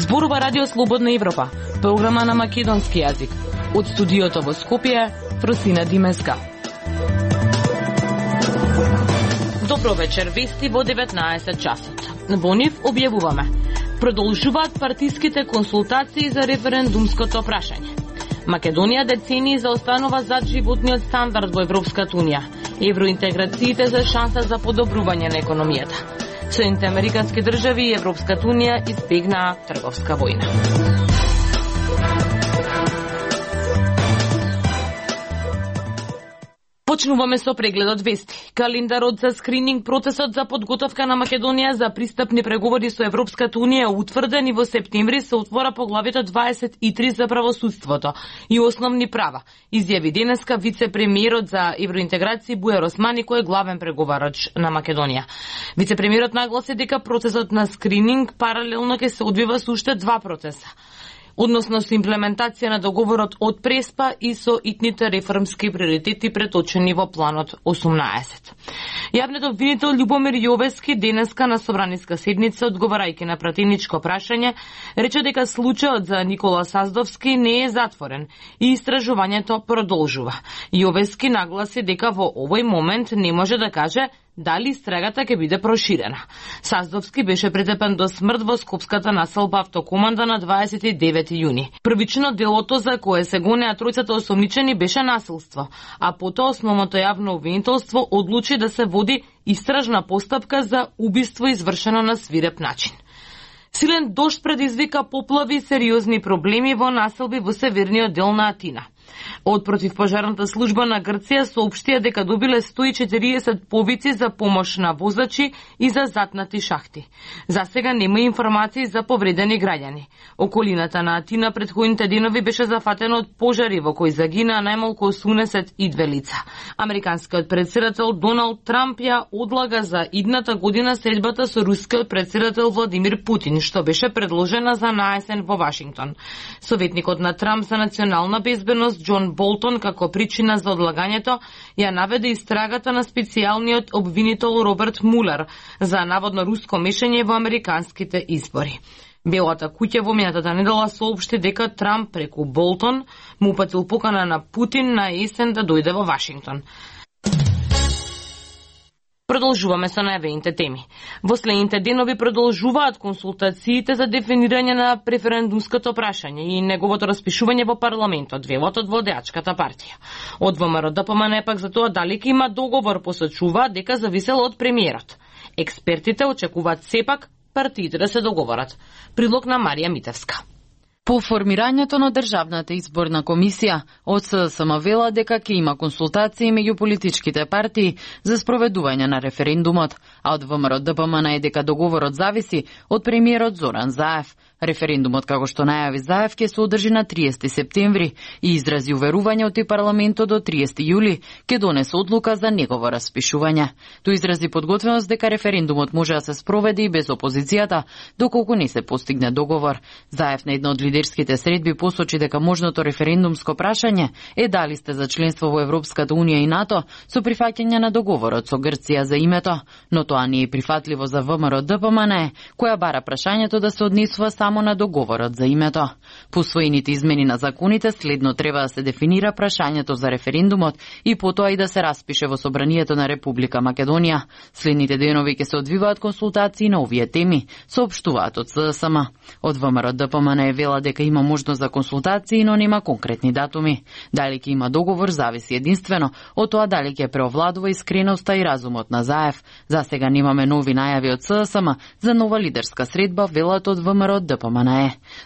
Зборува Радио Слободна Европа, програма на македонски јазик. Од студиото во Скопје, Фросина Димеска. Добро вечер, вести во 19 часот. Во нив објавуваме: продолжуваат партиските консултации за референдумското прашање. Македонија децении заостанува зад животниот стандард во Европската унија. Евроинтеграциите за шанса за подобрување на економијата. Соединените американски држави и Европската унија избегнаа трговска војна. Почнуваме со прегледот вести. Календарот за скрининг процесот за подготовка на Македонија за пристапни преговори со Европската унија утврден и во септември се отвора поглавјето 23 за правосудството и основни права, изјави денеска вице-премиерот за евроинтеграција Бујар Османи, кој е главен преговарач на Македонија. Вице-премиерот нагласи дека процесот на скрининг паралелно ќе се одвива со уште два процеса, односно со имплементација на договорот од Преспа и со итните реформски приоритети преточени во планот 18. Јавниот обвинител Љубомир Јовески денеска на собраниска седница, одговарајќи на пратеничко прашање, рече дека случајот за Никола Саздовски не е затворен и истражувањето продолжува. Јовески нагласи дека во овој момент не може да каже дали истрагата ќе биде проширена. Саздовски беше претепен до смрт во скопската населба Автокоманда на 29 јуни. Првично делото за кое се гонеа тројцата осомничени беше насилство, а потоа основното јавно обвинителство одлучи да се води истражна постапка за убиство извршено на свиреп начин. Силен дожд предизвика поплави и сериозни проблеми во населби во северниот дел на Атина. Од противпожарната служба на Грција соопштија дека добиле 140 повици за помош на возачи и за затнати шахти. За сега нема информации за повредени граѓани. Околината на Атина претходните денови беше зафатена од пожари во кои загинаа најмалку 82 лица. Американскиот претседател Доналд Трамп ја одлага за идната година средбата со рускиот претседател Владимир Путин, што беше предложена за наесен во Вашингтон. Советникот на Трамп за национална безбедност Џон Болтон како причина за одлагањето ја наведе истрагата на специјалниот обвинител Роберт Мулер за наводно руско мешање во американските избори. Белата куќа во минатата недела соопшти дека Трамп преку Болтон му упатил покана на Путин на есен да дојде во Вашингтон. Продолжуваме со најавените теми. Во следните денови продолжуваат консултациите за дефинирање на референдумското прашање и неговото распишување во парламентот, велат од владеачката партија. Од ВМРО ДПМН пак за тоа дали ќе има договор посочува дека зависело од премиерот. Експертите очекуваат сепак партиите да се договорат. Прилог на Марија Митевска. По формирањето на Државната изборна комисија, од СДСМ вела дека ќе има консултации меѓу политичките партии за спроведување на референдумот, а од ВМРО ДПМН е дека договорот зависи од премиерот Зоран Заев. Референдумот, како што најави Заев, ќе се одржи на 30 септември и изрази уверување од парламентот до 30 јули ќе донесе одлука за негово распишување. Тој изрази подготвеност дека референдумот може да се спроведе и без опозицијата, доколку не се постигне договор. Заев на една од лидерските средби посочи дека можното референдумско прашање е дали сте за членство во Европската унија и НАТО со прифаќање на договорот со Грција за името, но тоа не е прифатливо за ВМРО ДПМН, која бара прашањето да се однесува само на договорот за името. По усвоените измени на законите следно треба да се дефинира прашањето за референдумот и потоа и да се распише во Собранието на Република Македонија. Следните денови ќе се одвиваат консултации на овие теми, соопштуваат од СДСМ. Од ВМРО ДПМН е вела дека има можност за консултации, но нема конкретни датуми. Дали ќе има договор зависи единствено од тоа дали ќе преовладува искреноста и разумот на Заев. За сега немаме нови најави од СДСМ за нова лидерска средба, велат од ВМРО ДПМН.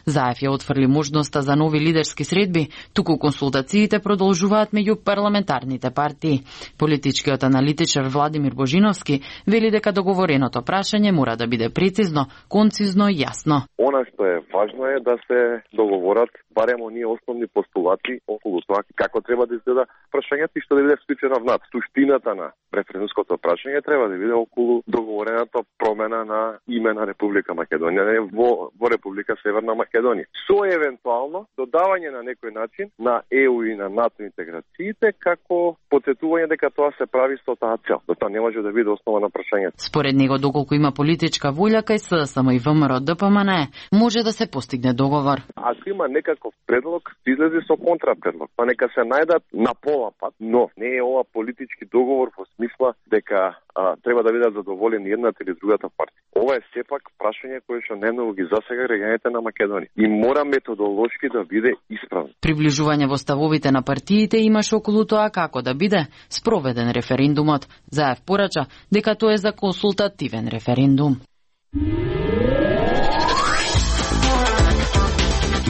Заев ја отфрли можноста за нови лидерски средби, туку консултациите продолжуваат меѓу парламентарните партии. Политичкиот аналитичар Владимир Божиновски вели дека договореното прашање мора да биде прецизно, концизно и јасно. Она што е важно е да се договорат барем оние основни постулати околу тоа како треба да изгледа прашањето и што да биде вклучено внатре. Суштината на референдумското прашање треба да биде околу договорената промена на име на Република Македонија во Република Северна Македонија. Со евентуално додавање на некој начин на ЕУ и на НАТО интеграциите како потсетување дека тоа се прави со таа цел. Тоа не може да биде основа на прашањето. Според него, доколку има политичка волја кај СДСМ и ВМРО ДПМН, може да се постигне договор. Ако има некаков предлог, излезе со контрапредлог. Па нека се најдат на пола пат, но не е ова политички договор во смисла дека треба да бидат задоволени едната или другата партија. Ова е сепак прашање кое што најмногу ги засега граѓаните на Македонија и мора методолошки да биде исправно. Приближување во ставовите на партиите имаше околу тоа како да биде спроведен референдумот. Заев порача дека тоа е за консултативен референдум.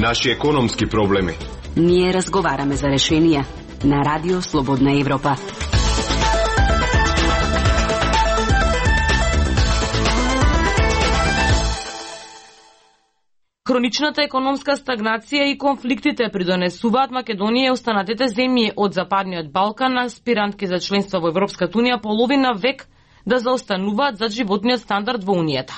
Наши економски проблеми. Ние разговараме за решенија на Радио Слободна Европа. Хроничната економска стагнација и конфликтите придонесуваат Македонија и останатите земји од Западниот Балкан, аспирантки за членство во Европската унија, половина век да заостануваат за животниот стандард во Унијата.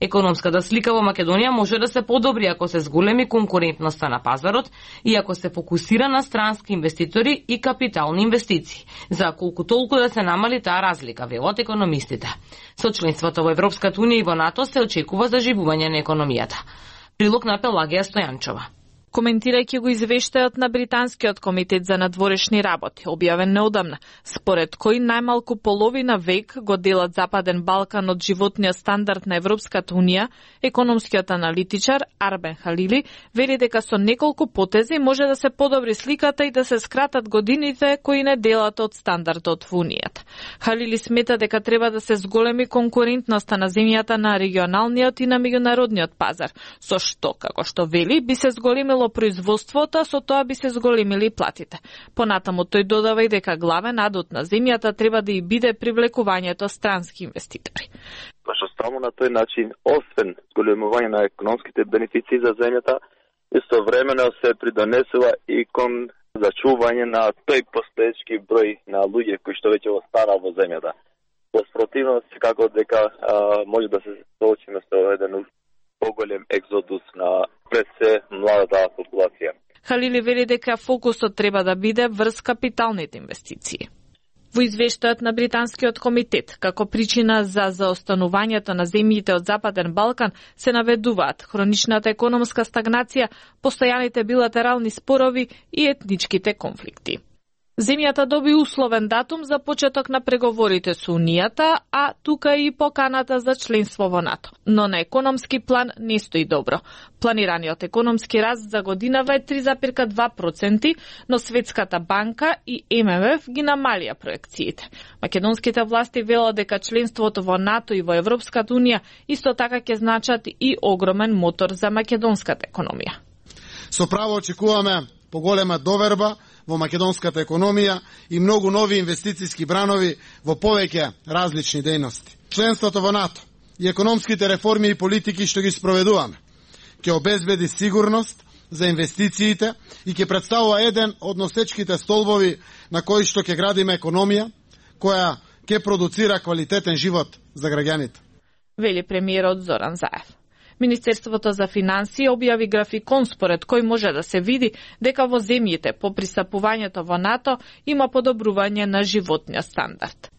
Економската слика во Македонија може да се подобри ако се зголеми конкурентноста на пазарот и ако се фокусира на странски инвеститори и капитални инвестиции, за колку толку да се намали таа разлика, велат економистите. Со членството во Европската унија и во НАТО се очекува заживување на економијата. Прилог на Пелагија Стојанчова. Коментирајќи го извештајот на Британскиот комитет за надворешни работи, објавен неодамна, според кој најмалку половина век го делат Западен Балкан од животниот стандард на Европската унија, економскиот аналитичар Арбен Халили вели дека со неколку потези може да се подобри сликата и да се скратат годините кои не делат од стандардот во Унијата. Халили смета дека треба да се зголеми конкурентноста на земјата на регионалниот и на меѓународниот пазар, со што, како што вели, би се зголемило производството, со тоа би се зголемили платите. Понатаму тој додава и дека главен адут на земјата треба да и биде привлекувањето странски инвеститори. Пошто само на тој начин, освен зголемување на економските бенефиции за земјата, истовремено се придонесува и кон зачување на тој постоечки број на луѓе кои што веќе останаа во земјата. Во спротивност, како дека може да се соочиме со еден поголем екзодус на пред се младата популација. Халили вели дека фокусот треба да биде врз капиталните инвестиции. Во извештајот на Британскиот комитет, како причина за заостанувањето на земјите од Западен Балкан се наведуваат хроничната економска стагнација, постојаните билатерални спорови и етничките конфликти. Земјата доби условен датум за почеток на преговорите со Унијата, а тука и поканата за членство во НАТО. Но на економски план не стои добро. Планираниот економски раст за годинава е 3,2%, но Светската банка и ММФ ги намалија проекциите. Македонските власти велат дека членството во НАТО и во Европската унија исто така ќе значат и огромен мотор за македонската економија. Со право очекуваме поголема доверба во македонската економија и многу нови инвестициски бранови во повеќе различни дејности. Членството во НАТО и економските реформи и политики што ги спроведуваме ќе обезбеди сигурност за инвестициите и ќе представува еден од носечките столбови на кои што ќе градиме економија која ќе продуцира квалитетен живот за граѓаните. Вели премиерот Зоран Заев. Министерството за финансии објави графикон според кој може да се види дека во земјите по пристапувањето во НАТО има подобрување на животниот стандард.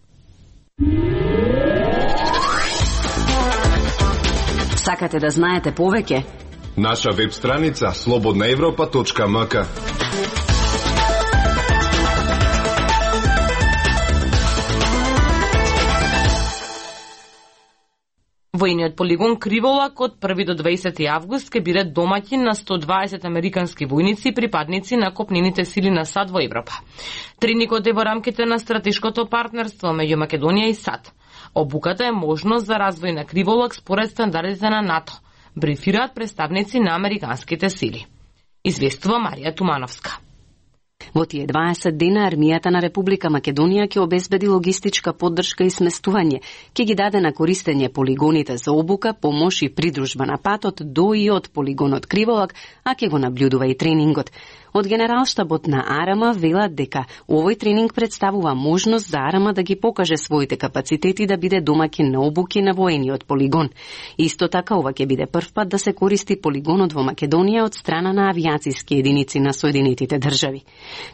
Сакате да знаете повеќе? Наша веб страница slobodnaevropa.mk. Војниот полигон Криволак од 1 до 20 август ќе биде домаќин на 120 американски војници и припадници на копнените сили на САД во Европа. Тренингот е во рамките на стратешкото партнерство меѓу Македонија и САД. Обуката е можност за развој на Криволак според стандардите на НАТО, брифираат представници на американските сили. Известува Марија Тумановска. Во тие 20 дена армијата на Република Македонија ќе обезбеди логистичка поддршка и сместување, ќе ги даде на користење полигоните за обука, помош и придружба на патот до и од полигонот Криволак, а ќе го наблюдува и тренингот. Од Генералштабот на АРМ велат дека овој тренинг представува можност за АРМ да ги покаже своите капацитети да биде домаќин на обуки на воениот полигон. Исто така ова ќе биде прв пат да се користи полигонот во Македонија од страна на авиациски единици на Соединетите држави.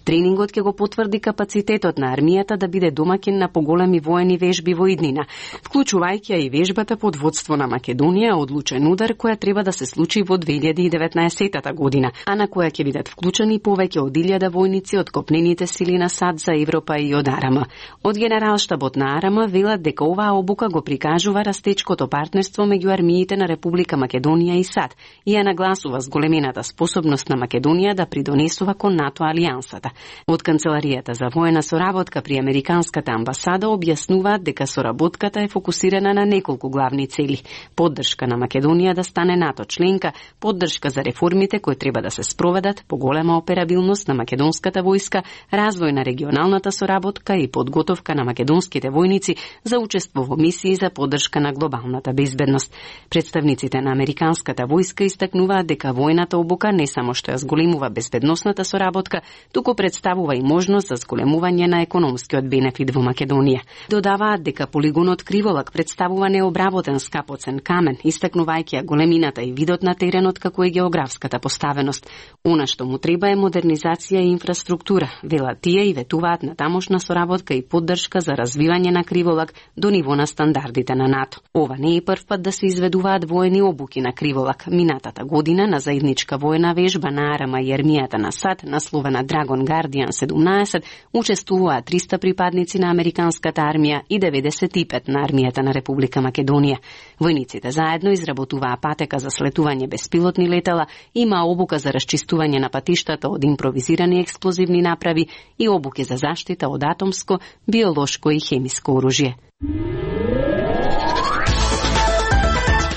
Тренингот ќе го потврди капацитетот на армијата да биде домаќин на поголеми воени вежби во иднина, вклучувајќи и вежбата под водство на Македонија одлучен удар која треба да се случи во 2019 година, а на која ќе бидат вклучени и повеќе од 1000 војници од копнените сили на САД за Европа и од АРМ. Од Генералштабот на АРМ велат дека оваа обука го прикажува растечкото партнерство меѓу армиите на Република Македонија и САД и ја нагласува зголемената способност на Македонија да придонесува кон НАТО алијансата. Од Канцеларијата за воена соработка при Американската амбасада објаснуваат дека соработката е фокусирана на неколку главни цели: поддршка на Македонија да стане НАТО членка, поддршка за реформите кои треба да се спроведат, поголема операбилност на македонската војска, развој на регионалната соработка и подготовка на македонските војници за учество во мисии за поддршка на глобалната безбедност. Представниците на американската војска истакнуваат дека војната обука не само што ја зголемува безбедносната соработка, туку представува и можност за зголемување на економскиот бенефит во Македонија. Додаваат дека полигонот Криволак представува необработен скапоцен камен, истакнувајќи ја големината и видот на теренот како и географската поставеност. Она што му треба е модернизација и инфраструктура, велат тие и ветуваат на тамошна соработка и поддршка за развивање на Криволак до ниво на стандардите на НАТО. Ова не е прв пат да се изведуваат воени обуки на Криволак. Минатата година на заедничка воена вежба на АРМ и армијата на САД, насловена Dragon Guardian 17, учествуваа 300 припадници на американската армија и 95 на армијата на Република Македонија. Војниците заедно изработуваа патека за слетување беспилотни летала, има обука за расчистување на патиштата од импровизирани експлозивни направи и обуки за заштита од атомско, биолошко и хемиско оружје.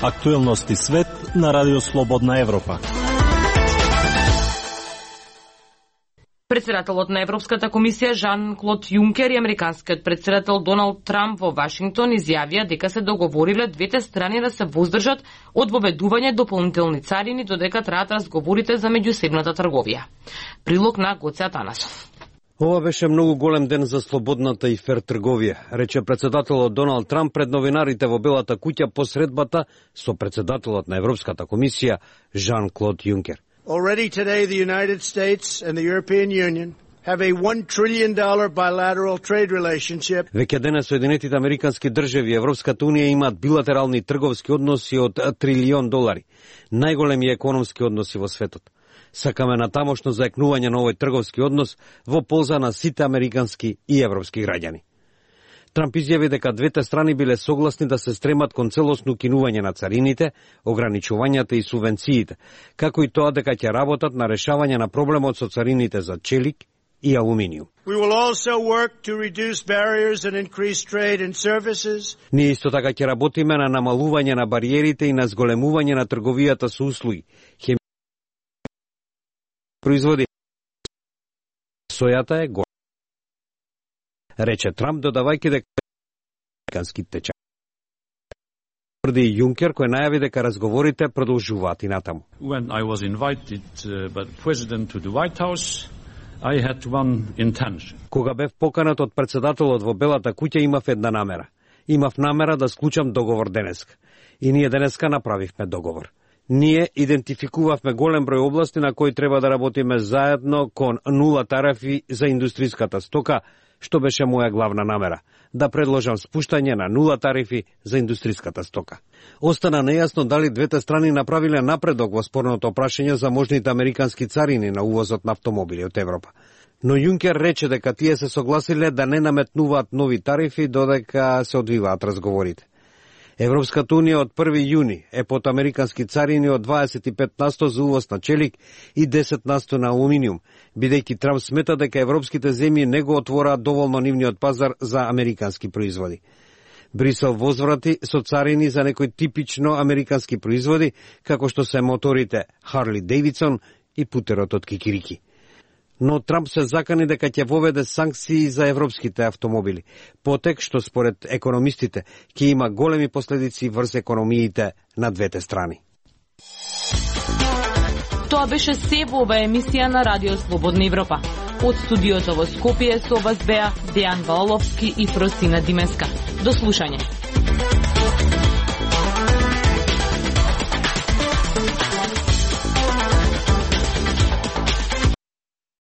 Актуелности свет на Радио Слободна Европа. Председателот на Европската комисија Жан-Клод Јункер и американскиот председател Доналд Трамп во Вашингтон изјавија дека се договориле двете страни да се воздржат од воведување дополнителни царини додека траат разговорите за меѓусебната трговија. Прилог на Гоце Атанасов. Ова беше многу голем ден за слободната и фер трговија, рече председателот Доналд Трамп пред новинарите во Белата куќа по средбата со председателот на Европската комисија Жан-Клод Јункер. Already today, the United States and the European Union have a $1 trillion bilateral trade relationship. Веќе денес Соединетите американски држави и Европската унија имаат билатерални трговски односи од $1 трилион, најголеми економски односи во светот. Сакаме натамошно заекнување на овој трговски однос во полза на сите американски и европски граѓани. Трамп изјави дека двете страни биле согласни да се стремат кон целосно укинување на царините, ограничувањата и субвенциите, како и тоа дека ќе работат на решавање на проблемот со царините за челик и алуминиум. Ние исто така ќе работиме на намалување на бариерите и на зголемување на трговијата со услуги, производи. Сојата е голема, рече Трамп, додавајќи дека американски течај. Тврди Јункер, кој најави дека разговорите продолжуваат и натаму. When I was invited by the president to the White House, I had one intention. Кога бев поканат од председателот во Белата куќа, имав една намера. Имав намера да склучам договор денеска. И ние денеска направивме договор. Ние идентификувавме голем број области на кои треба да работиме заедно кон нула тарифи за индустриската стока, што беше моја главна намера, да предложам спуштање на нула тарифи за индустриската стока. Остана нејасно дали двете страни направиле напредок во спорното прашање за можните американски царини на увозот на автомобили од Европа. Но Јункер рече дека тие се согласиле да не наметнуваат нови тарифи додека се одвиваат разговорите. Европската унија од 1 јуни е под американски царини од 25% за увоз на челик и 10% на алуминиум, бидејќи Трамп смета дека европските земји не го отвораат доволно нивниот пазар за американски производи. Брисел возврати со царини за некои типично американски производи, како што се моторите Harley Davidson и путерот од кикирики. но Трамп се закани дека ќе воведе санкции за европските автомобили, потек што според економистите ќе има големи последици врз економиите на двете страни. Тоа беше се во оваа емисија на Радио Слободна Европа. Од студиото во Скопје со вас беа Дејан Валовски и Фросина Димеска. До слушање.